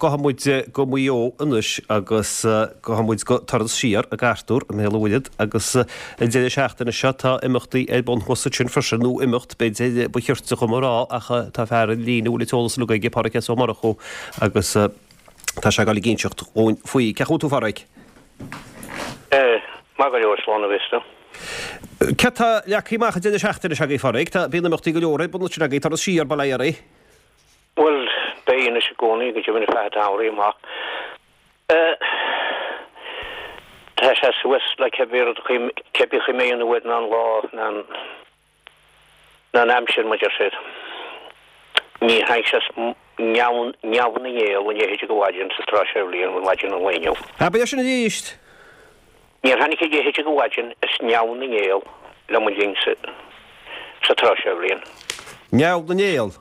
Gabhfaidh muid go Maigh Eo anois agus gabhfaidh muid go Turas Siar ag Artúr i mBéal an Mhuirthead agus an deireadh seachtaine seo tá imeachtaí ar bun thuas ansin freisin, nó imeacht b'fhéidir ba chirte dhom a rá ach tá fear ar an líne a bhfuil an t-eolas uilig aige, Páraic S. Ó Murchú agus tá sé ag dul ag inseacht dhúinn faoi. Cén chaoi a bhfuil tú a Pháraic? Maith go leor, slán a bheas tú. Céard tá leagtha amach an deireadh seachtaine seo agaibh a Pháraic? Tá, bíonn imeachtaí go leor ar bun ansin agaibh, Turas Siar, bail ó Dhia oraibh. Bhuel, beidh anois i gcónaí, go deimhin ar feadh an tsamhraidh amach. Tá sé suas le cibé rud, cibé chaoi a mbeidh an uair ná an lá ná an, ná an aimsir, mar deir siad. Ní tháinig sé neamh, neamh na nGael a leithéid de mhaidin sa tráth seo bhliain, maidin an lae inniu. Abair é sin arís! Níor tháinig a leithéid de mhaidin is neamh na nGael le mo linn sa, sa tráth seo bhliain. Neamh na nGael?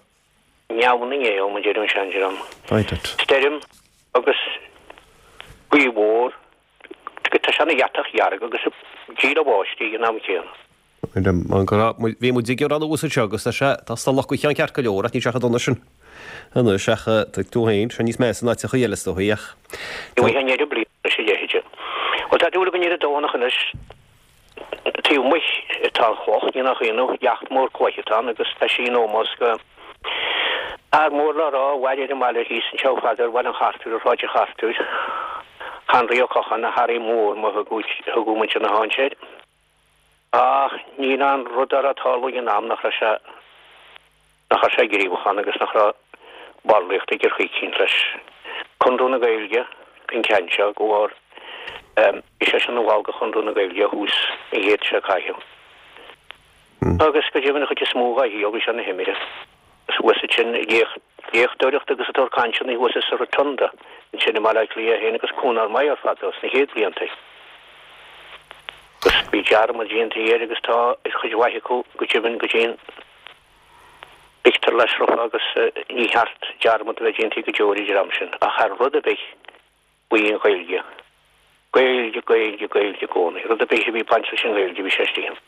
Neamh na nGael, mar deir an seandream. Stoirm agus gaoth mhór, tá sé ina dheatach dhearg agus ag díle báistí ag an am céanna. Bhí muid ag gearán abhus anseo agus tá sé, tá salach go cheann ceart go leor ach níl sé chomh dona sin anois ach tuig tú féin, sé níos measa in áiteachaí eile is dóichí ach. Ní bhfaighidh an oiread bliana anois a leithéide. Bhuel tá dúil againn ar an Domhnach anois. Taobh amuigh atá an chloch, ní nach ionadh, leacht mór cloiche atá ann agus tá sí in ómós go fhear mór le rá a mhair ar an mbaile thíos anseo fadó ar Bhaile an Chartúir, ar Shráid an Chartúir, Henry Ó Cocháin, nó Harry Mór mar a thugadh muintir na háite air. Ach níl aon rud dá raibh ag tarlú ag an am nach raibh sé nach raibh sé gníomhach ann agus nach raibh ballraíocht aige ar chaoi eicínt leis. Conradh na Gaeilge an ceann seo go bharr bhí sé sin ina bhall de Chonradh na Gaeilge ó thús an chéid seo caite. Agus go deimhin an chuid is mó dhá shaol bhí sé ina thimire. Agus thuas ansin ag léachtóireacht agus ag tabhairt cainteanna thuas sa Rotunda ansin i mBaile Átha Cliath féin agus cúnár maith ar fad dó sna chéad bhlianta. Agus bhí dearmad déanta air agus tá ar chuid mhaith acu go deimhin go dtí an pictiúr leis rofa agus ní cheart dearmad a bheith déanta go deo ar an dream sin ach thar rud ar bith faoi an Ghaeilge. Gaeilge, Gaeilge, Gaeilge i gcónaí. Rud ar bith a bhí ag baint leis an nGaeilge bhí sé istigh ann.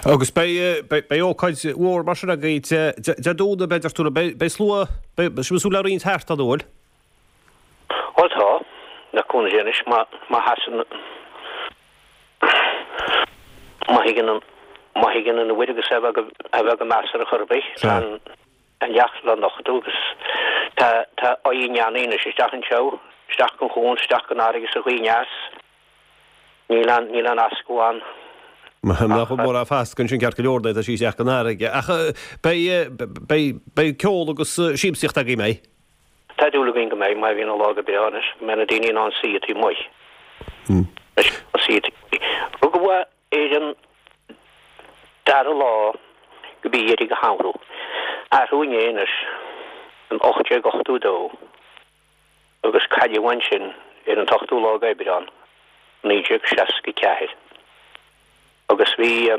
Agus beidh, beidh ócáid mhór mar sin agaibh Dé Domhnaigh, beidh, deir tú, beidh slua, beidh, sibh ag súil le roinnt thart an bhfuil? Ó tá, le cúnamh Dé anois, má, má sheasann, má thigeann an, má thigeann an uair agus é a bheith go, a bheith go measartha chor ar bith, tá an, an leacht le nochtadh agus tá, tá aghaidh an eannaí anois isteach anseo, isteach gon chuan, isteach gon fharraige sa ghaoth aneas. Níl aon, níl aon fhascadh ann. Nach bhfuil mórán fascadh ansin ceart go leor, tá sí isteach gon fharraige. Ach beidh, beidh, beidh ceol agus siamsaíocht agaibh, an mbeidh? Tá dúil againn go mbeidh, má bhíonn an lá go breá anois, go mbeidh na daoine in ann suí taobh amuigh. Suí taobh amuigh. Rugadh é ar an dara lá de mhí Dheireadh an Shamhradh. Arú inné anois, in 1882, agus cailleadh ansin ar an t-ochtú lá d'Aibreán, 1964. Agus bhí,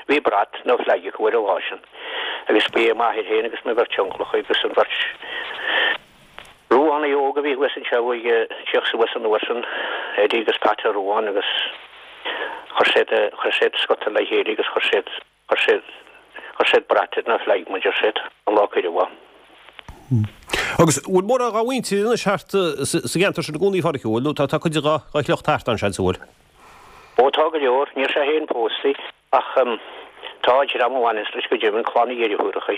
bhí brat nó flag acu ar an lá sin. Agus ba é m'athair féin agus mo bheirt unclacha agus an bheirt Ruánaigh óga a bhí thuas anseo ag tíocht suas an uair sin, Eddie agus Pat Ó Ruáin agus chuir siad, chuir siad scota le chéile agus chuir siad, chuir siad, chuir siad brat air nó flag mar deir siad, an lá cuireadh é. Agus bhfuil mórán dá mhuintir anois thart sa gceantar sin i gcónaí a Pháraic, bhfuil, nó tá cuid dá shliocht thart ann, seans, an bhfuil? Ó tá go leor, níl sé féin pósta ach tá dream a bhaineas leis go deimhin, clann a dheirfiúracha.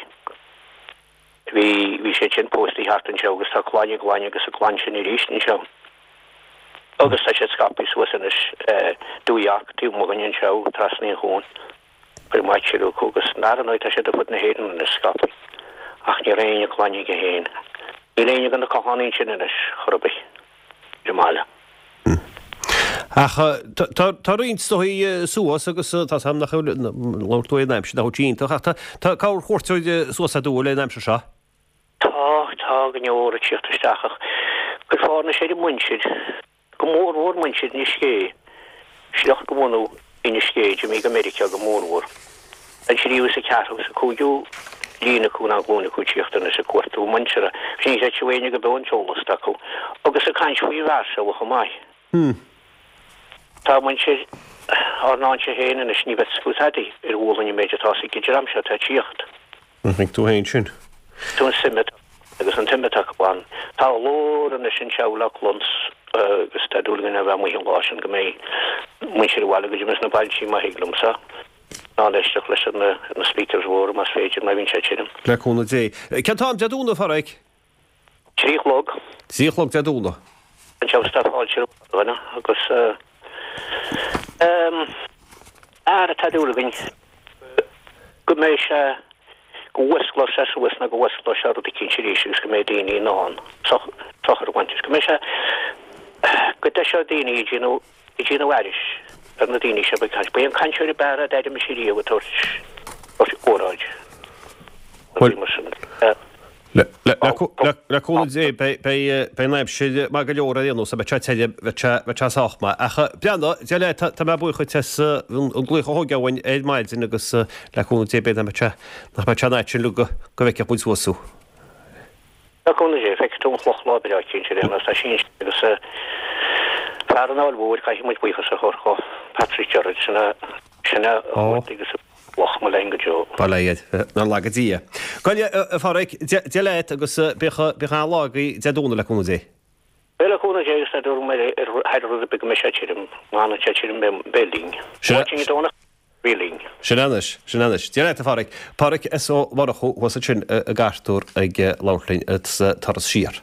Bhí, bhí siad sin pósta thart anseo agus tá clainn a gclainne agus a gclann sin arís anseo. Agus tá siad scaipthe suas anois, Dún Earc taobh amuigh dhúinn anseo, trasna an chuain. Chuir Maigh Tuireadh acu agus ar ndóigh tá siad ar fud na hÉireann anois scaipthe. Ach ní raibh éinne clainne aige féin. Níl éinne de na Cochánaigh ansin anois, chor ar bith, ar an mbaile. Ach tá roinnt is dóigh suas agus tá 's a'm nach bhfuil, labhair tú ar an aimsir, nach bhfuil sí iontach ach tá corr-chuairteoir suas aduaidh le an aimsir seo. Tá, tá go leor ag tíocht isteach ach cuirfeá anois ar an muintir, go mór mhór muintir Inis Gé, sliocht de bhunadh Inis Gé, d'imigh go Meiriceá go mór mhór. An tríú is an ceathrú is an cúigiú líne acu ná glúin acu ag tíocht anois ag cuartú a muintire. Ní chreidfeadh éinne go beo an t-eolas atá acu. Agus ag caint faoi an bhfear seo chomh maith. Tá muintir ár n-áitse féin anois, ní bheadh fhios acu tada ar ghualainn an méid atá ag an dream seo atá ag tíocht. An thuig tú féin sin? Tú an suim atá. Agus an tsuim atá acu ann. Tá a ghlór anois anseo le cluns agus tá dúil againn a bheith amuigh an lá sin go mbeidh muintir an bhaile go deimhin sna bailtí má thig liomsa in ann éisteacht leis ar na speakers mhóra más féidir má bhíonn sé tirim. Le cúnamh Dé. Cén t-am Dé Domhnaigh, a Phádraig? 3 a chlog. 3 a chlog Dé Domhnaigh. Anseo tá fáilte roimh dhuine agus ara tá dúil againn go mbeidh sé, go bhfuasclóidh sé suas nó go bhfuasclóidh sé rud eicínt arís agus go mbeidh daoine in ann sochar a bhaint as, go mbeidh sé, go dtoiseoidh daoine ag déanamh, ag déanamh aithris ar na daoine seo a bheidh ag caint. Ba é an cainteoir ab fhearr a d'airigh mise riamh ag tabhairt, tabhairt óráid. Bhuel, mar sin. Le cúnamh Dé, beidh an aimsir maith go leor ar aon nós, beidh sé tirim, beidh sé sách maith. Ach Breandán, Dia leat, tá mé buíoch duit as an glaoch a thógáil uainn ar maidin agus le cúnamh Dé b'fhéidir nach mbeidh sé, nach mbeidh sé an fhaid sin go bhfeicfeadh muid suas thú. Le cúnamh Dé, feicfidh tú an chloch lá breá eicínt ar aon nós, tá sí ansin agus fear an Fháil Mhóir, caithfidh muid buíochas a thabhairt dho, Patrick Gerard, sin a, sin a chuartaigh agus a. Cloch mo leinn go deo. Bail ó Dhia air, nár laga Dia. Gabh i leith, a Phádraig, Dia leat agus bíodh an-lá agaibh Dé Domhnaigh le cúnamh Dé. Beidh le cúnamh Dé agus tá dúil agam ar thar rud ar bith go mbeidh sé tirim. Má fhanann sé tirim beidh linn. Sin é. Bí linn. Sin é anois, sin é anois. Dia leat a Phádraig. Pádraig S. Ó Murchú thuas ansin i gCartúr ag labhairt linn sa turas siar.